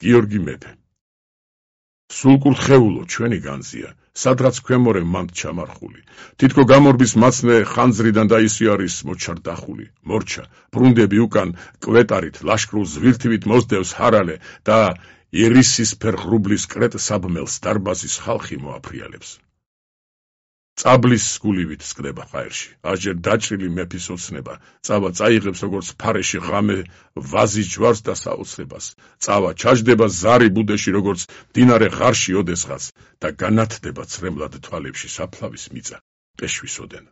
გიორგი მეფე. სულკურთხეულო ჩვენი განძია, სადღაც ქვემორე მანდ ჩამარხული. თითქო გამორბის მაცნე ხანძრიდან დაისიარის მოჩარდახული. მორჩა, ბრუნდები უკან კვეტარით, ლაშქრულ ზვირთივით მოსდევს ჰარალე და ერისისფერ ღრუბლის კრეტ საბმელს დარბაზის ხალხი მოაფრიალებს. წაბლის სგულივით სკდება ჰაერში, აჯერ დაჭრილი მეფის ოცნება, წავა წაიღებს როგორც ფარეში ღამე ვაზის ჯვარს და საოცრებას, წავა ჩაჯდება ზარი ბუდეში როგორც მდინარე ღარში ოდესღაც და განათდება ცრემლად თვალებში საფლავის მიწა, პეშვის ოდენ.